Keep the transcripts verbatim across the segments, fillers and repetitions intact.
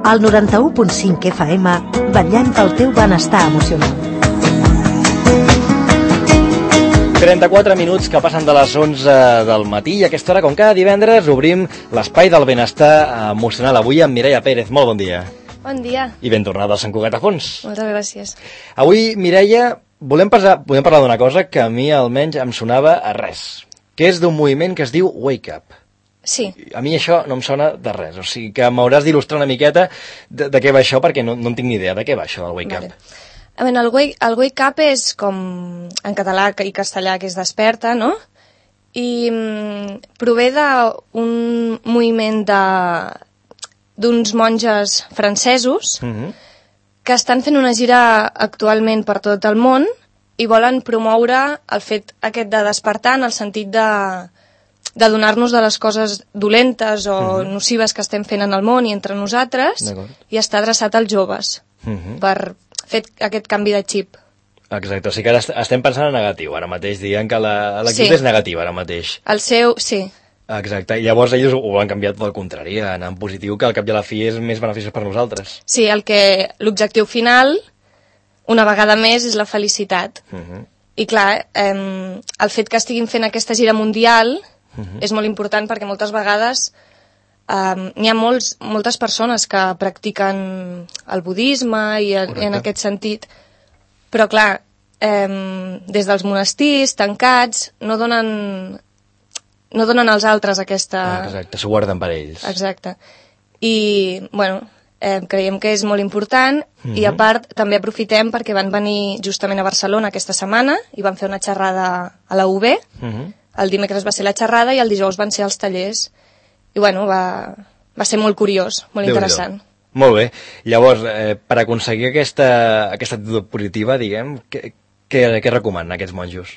al noranta-u punt cinc F M, vetllant pel teu benestar emocional. trenta-quatre minuts que passen de les onze del matí i a aquesta hora, com cada divendres, obrim l'espai del benestar emocional. Avui amb Mireia Pérez. Molt bon dia. Bon dia. I ben tornada a Sant Cugat a Fons. Moltes gràcies. Avui, Mireia, volem parlar, podem parlar d'una cosa que a mi almenys em sonava a res, que és d'un moviment que es diu Wake Up. Sí. A mi això no em sona de res, o sigui que m'hauràs d'il·lustrar una miqueta de, de què va això, perquè no, no en tinc ni idea de què va això del Wake Vale. Up. A veure, el wake, el wake Up és com en català i castellà que és desperta, no? I mm, prové d'un moviment de d'uns monges francesos Uh-huh. que estan fent una gira actualment per tot el món i volen promoure el fet aquest de despertar en el sentit de, de donar-nos de les coses dolentes o uh-huh. nocives que estem fent en el món i entre nosaltres i està adreçat als joves uh-huh. per fer aquest canvi de xip. Exacte, o sigui que ara estem pensant en negatiu ara mateix, dient que l'equip Sí. és negatiu ara mateix. El seu, sí, Exacte, i llavors ells ho han canviat pel contrari, anar en positiu, que al cap i a la fi és més beneficiós per nosaltres. sí, el que l'objectiu final, una vegada més, és la felicitat. Uh-huh. I clar, eh, el fet que estiguin fent aquesta gira mundial Uh-huh. és molt important perquè moltes vegades eh, n'hi ha molts, moltes persones que practiquen el budisme i, i en aquest sentit, però clar, eh, des dels monestirs tancats no donen, no donen als altres aquesta... Ah, exacte, s'ho guarden per ells. Exacte. I, bueno, eh, creiem que és molt important Mhm. i a part també aprofitem perquè van venir justament a Barcelona aquesta setmana i van fer una xerrada a la U B. Uh-huh. El dimecres va ser la xerrada i el dijous van ser els tallers. I bueno, va, va ser molt curiós, molt Déu-n'hi-do. interessant. Molt bé. Llavors, eh, per aconseguir aquesta, aquesta actitud positiva, diguem, què, què, què recomanen aquests monjos?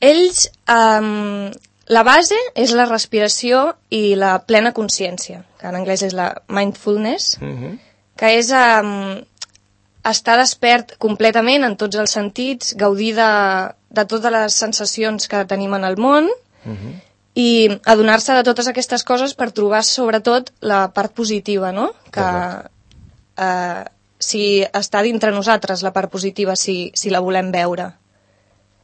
Ells, um, la base és la respiració i la plena consciència, que en anglès és la mindfulness, Uh-huh. que és um, estar despert completament en tots els sentits, gaudir de, de totes les sensacions que tenim en el món Uh-huh. i adonar-se de totes aquestes coses per trobar sobretot la part positiva, no? Que eh, si està dintre nosaltres la part positiva, si, si la volem veure.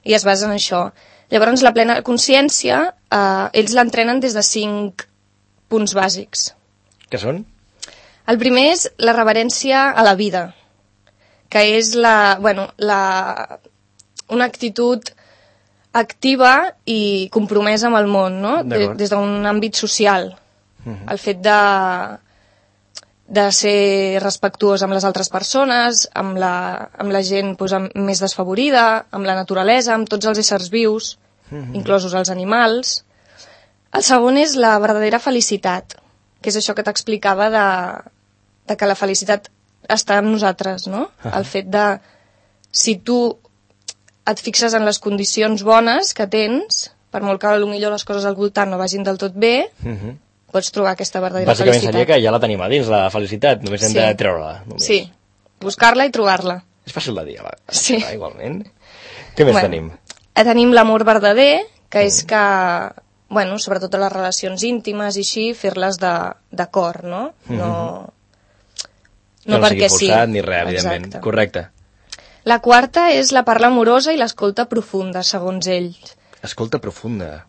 I es basa en això. Llavors, la plena consciència, eh, ells l'entrenen des de cinc punts bàsics. Què són? El primer és la reverència a la vida, que és la, bueno, la, una actitud activa i compromesa amb el món, no? De, des d'un àmbit social. Uh-huh. El fet de, de ser respectuós amb les altres persones, amb la, amb la gent doncs, amb, més desfavorida, amb la naturalesa, amb tots els éssers vius, uh-huh. inclosos els animals. El segon és la verdadera felicitat, que és això que t'explicava de, de que la felicitat està en nosaltres, no? Uh-huh. El fet de, si tu et fixes en les condicions bones que tens, per molt que potser les coses al voltant no vagin del tot bé, uh-huh. pots trobar aquesta verdadera Bàsicament felicitat. seria que ja la tenim a dins, la felicitat, només hem Sí. de treure-la. Només. Sí, buscar-la i trobar-la. És fàcil de dir, va. Sí. Va, igualment. Què més Bueno, tenim? Eh, tenim l'amor verdader, que és que, bueno, sobretot a les relacions íntimes i així, fer-les de, de cor, no? No, Que no, no sigui perquè sí. forçat ni res, evidentment. Exacte. Correcte. La quarta és la parla amorosa i l'escolta profunda, segons ells. Escolta profunda.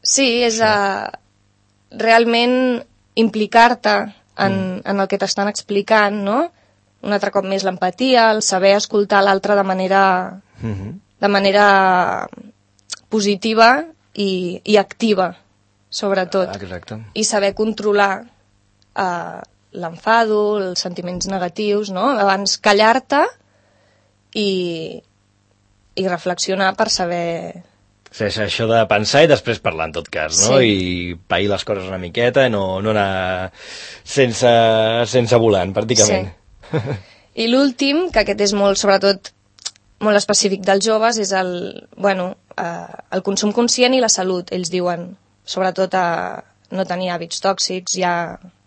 Sí, és a, realment implicar-te en, mm. en el que t'estan explicant, no? Un altre cop més l'empatia, el saber escoltar l'altre de manera, Mm-hmm. de manera positiva i, i activa, sobretot. Exacte. I saber controlar eh, l'enfado, els sentiments negatius, no? Abans callar-te i, i reflexionar per saber... Sí, és això de pensar i després parlar, en tot cas, no? Sí. I pair les coses una miqueta, no, no anar sense, sense volant, pràcticament. Sí. I l'últim, que aquest és molt, sobretot, molt específic dels joves, és el, bueno, eh, el consum conscient i la salut, ells diuen, sobretot a no tenir hàbits tòxics, ja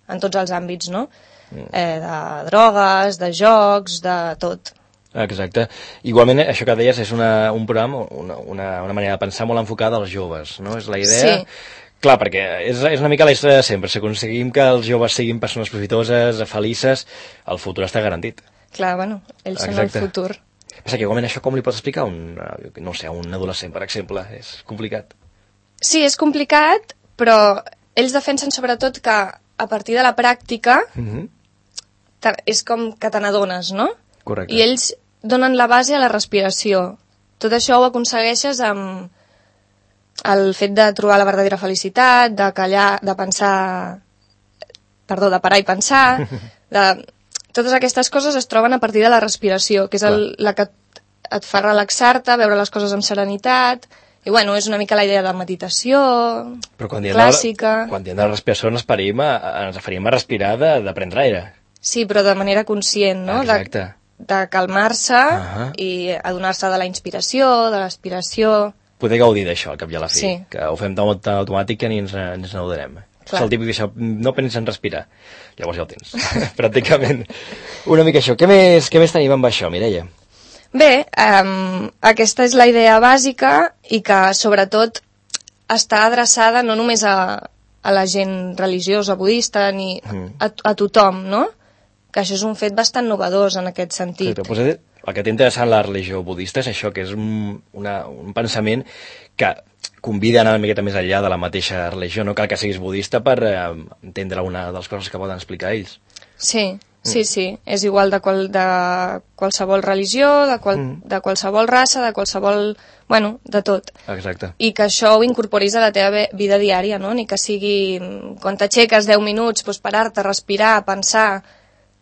en tots els àmbits, no? Mm. Eh, de drogues, de jocs, de tot. Exacte. Igualment, això que deies és una, un programa, una, una, una manera de pensar molt enfocada als joves, no? És la idea Sí. Clar, perquè és, és una mica la història de sempre. Si aconseguim que els joves siguin persones profitoses, felices, el futur està garantit. Clar, bueno, ells són el futur. Passa que igualment això com li pots explicar a un, no sé, a un adolescent, per exemple? És complicat. Sí, és complicat, però ells defensen sobretot que a partir de la pràctica mm-hmm. és com que te n'adones, no? Correcte. I ells donen la base a la respiració. Tot això ho aconsegueixes amb el fet de trobar la verdadera felicitat, de callar, de pensar... Perdó, de parar i pensar... de... Totes aquestes coses es troben a partir de la respiració, que és el, la que et fa relaxar-te, veure les coses amb serenitat, i bueno, és una mica la idea de meditació Però quan clàssica. De, quan diem de la respiració ens referim a, ens referim a respirar de, de prendre aire. Sí, però de manera conscient, no? Exacte. De, de calmar-se uh-huh. i adonar-se de la inspiració, de l'expiració... Poder gaudir d'això, al cap i a la fi, sí. que ho fem tan automàtic que ni ens, ni ens n'adonem. És el típic d'això, no penses en respirar. Llavors ja ho tens, pràcticament. Una mica això. Què més, què més tenim amb això, Mireia? Bé, um, aquesta és la idea bàsica i que, sobretot, està adreçada no només a, a la gent religiosa, budista, ni mm. a, a tothom, no? Que això és un fet bastant novedós en aquest sentit. Correcte. Pues el que té interessant la religió budista és això, que és un, una, un pensament que convida a anar una miqueta més enllà de la mateixa religió. No cal que siguis budista per eh, entendre una de les coses que poden explicar ells. Sí, sí, mm. sí. És igual de, qual, de qualsevol religió, de, qual, mm. de qualsevol raça, de qualsevol... Bueno, de tot. Exacte. I que això ho incorporis a la teva vida diària, no? Ni que sigui, quan t'aixeques deu minuts, doncs parar-te, respirar, pensar...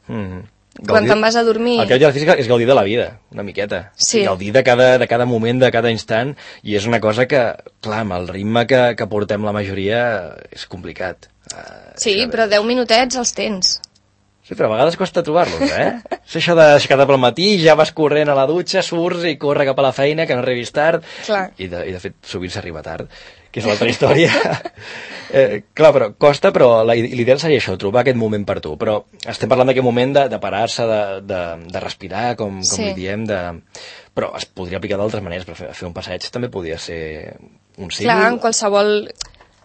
Mm. Gaudir, quan te'n vas a dormir... El que hi ha física és gaudir de la vida, una miqueta. Sí. Gaudir de cada, de cada moment, de cada instant, i és una cosa que, clar, amb el ritme que, que portem la majoria, és complicat. Uh, sí, però deu minutets els tens. Sí, però a vegades costa trobar-los, eh? És això d'aixecar-te pel matí, ja vas corrent a la dutxa, surts i corre cap a la feina, que no arribis tard. Clar. I de, i de fet, sovint s'arriba tard, que és l'altra història. eh, clar, però costa, però l'ideal seria això, trobar aquest moment per tu. Però estem parlant d'aquest moment de, de parar-se, de, de, de respirar, com, com sí. li diem, de... però es podria aplicar d'altres maneres, però fer, fer un passeig també podria ser un símbol. Clar, en qualsevol,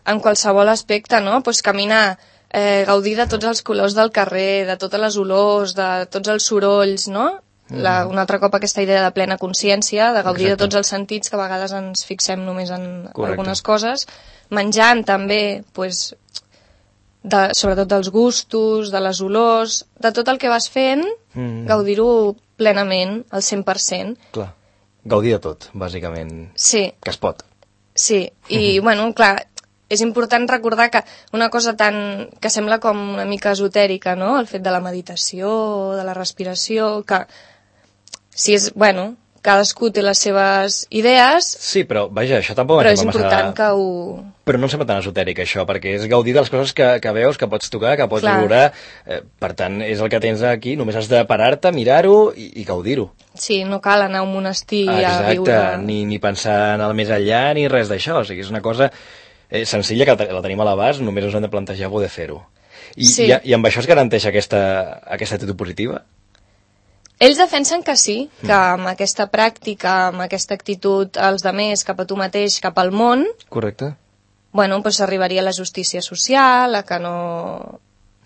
en qualsevol aspecte, no? Pues caminar, eh, gaudir de tots els colors del carrer, de totes les olors, de tots els sorolls, no? La, un altre cop aquesta idea de plena consciència, de gaudir Exacte. De tots els sentits, que a vegades ens fixem només en Correcte. Algunes coses, menjant també, pues, de, sobretot dels gustos, de les olors, de tot el que vas fent, mm. gaudir-ho plenament, al cent per cent. Clar, gaudir de tot, bàsicament, sí. que es pot. Sí, i mm-hmm. bueno, clar, és important recordar que una cosa tan que sembla com una mica esotèrica, no?, el fet de la meditació, de la respiració, que si és, bueno, cadascú té les seves idees... Sí, però, vaja, això tampoc... Però és important massa... que ho... Però no em sembla tan esotèric, això, perquè és gaudir de les coses que, que veus, que pots tocar, que pots Clar. Valorar. Eh, per tant, és el que tens aquí, només has de parar-te, mirar-ho i, i gaudir-ho. Sí, no cal anar a un monestir Exacte, a viure... Exacte, ni, ni pensar en el més enllà, ni res d'això. O sigui, és una cosa eh, senzilla, que la tenim a l'abast, només us hem de plantejar poder fer-ho. I, sí. i, I amb això es garanteix aquesta, aquesta actitud positiva? Ells defensen que sí, que amb aquesta pràctica, amb aquesta actitud als demés, cap a tu mateix, cap al món... Correcte. Bueno, doncs arribaria a la justícia social, a que no...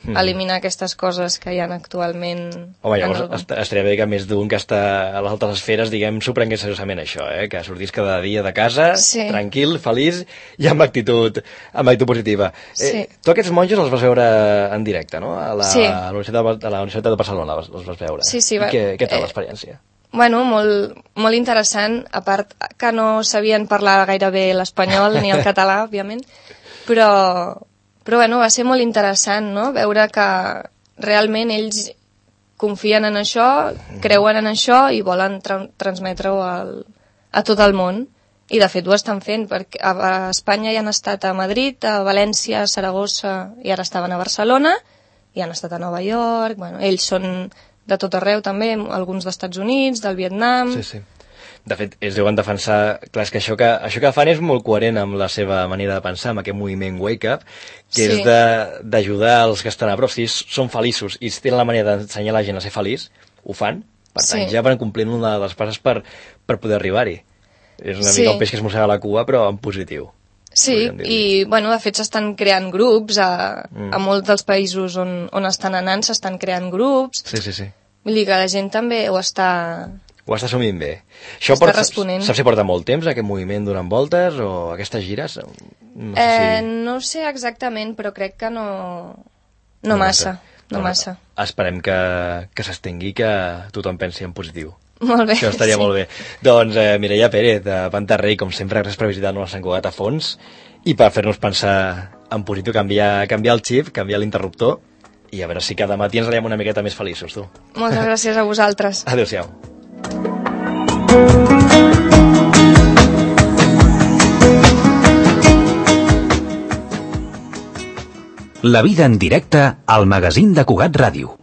Mm. eliminar aquestes coses que hi ha actualment... Home, llavors el... estaria bé que més d'un que està a les altres esferes, diguem, s'ho prengués seriosament això, eh? Que sortís cada dia de casa, sí. tranquil, feliç i amb actitud, amb actitud positiva. Sí. Eh, tu aquests monjos els vas veure en directe, no? A la, sí. a la, Universitat, de, a la Universitat de Barcelona els, els vas veure. Sí, sí. Va... Què, què tal l'experiència? Eh... Bueno, molt, molt interessant, a part que no sabien parlar gaire bé l'espanyol ni el català, òbviament, però... Però bueno, va ser molt interessant, no?, veure que realment ells confien en això, creuen en això i volen tra transmetre-ho a tot el món. I de fet ho estan fent, perquè a, a Espanya ja han estat a Madrid, a València, a Saragossa, i ara estaven a Barcelona, i han estat a Nova York. Bueno, ells són de tot arreu també, alguns dels Estats Units, del Vietnam... Sí, sí. De fet, ells deuen defensar... Clar, és que això que, això que fan és molt coherent amb la seva manera de pensar, amb aquest moviment Wake Up, que sí. és d'ajudar els que estan a prop. Si són feliços i si tenen la manera d'ensenyar la gent a ser feliç, ho fan. Per tant, sí. ja van complint una de les passes per, per poder arribar-hi. És una sí. mica el peix que es mossega la cua, però en positiu. Sí, i bueno, de fet s'estan creant grups a, mm. a molts dels països on, on estan anant, s'estan creant grups. Sí, sí, sí. Vull dir que la gent també ho està... Ho està assumint bé. Això està porta, responent. Saps si porta molt temps, aquest moviment donant voltes, o aquestes gires? No sé, eh, si... no sé exactament, però crec que no, no, no massa. No no massa. Esperem que, que s'estengui, que tothom pensi en positiu. Molt bé. Això estaria sí. molt bé. Doncs eh, Mireia Pérez, de Pantarrey, com sempre, gràcies per visitar-nos a Sant Cugat a fons i per fer-nos pensar en positiu, canviar, canviar el xip, canviar l'interruptor i a veure si cada matí ens veiem una miqueta més feliços, tu. Moltes gràcies a vosaltres. Adéu-siau. La vida en directe al magazín de Cugat Ràdio.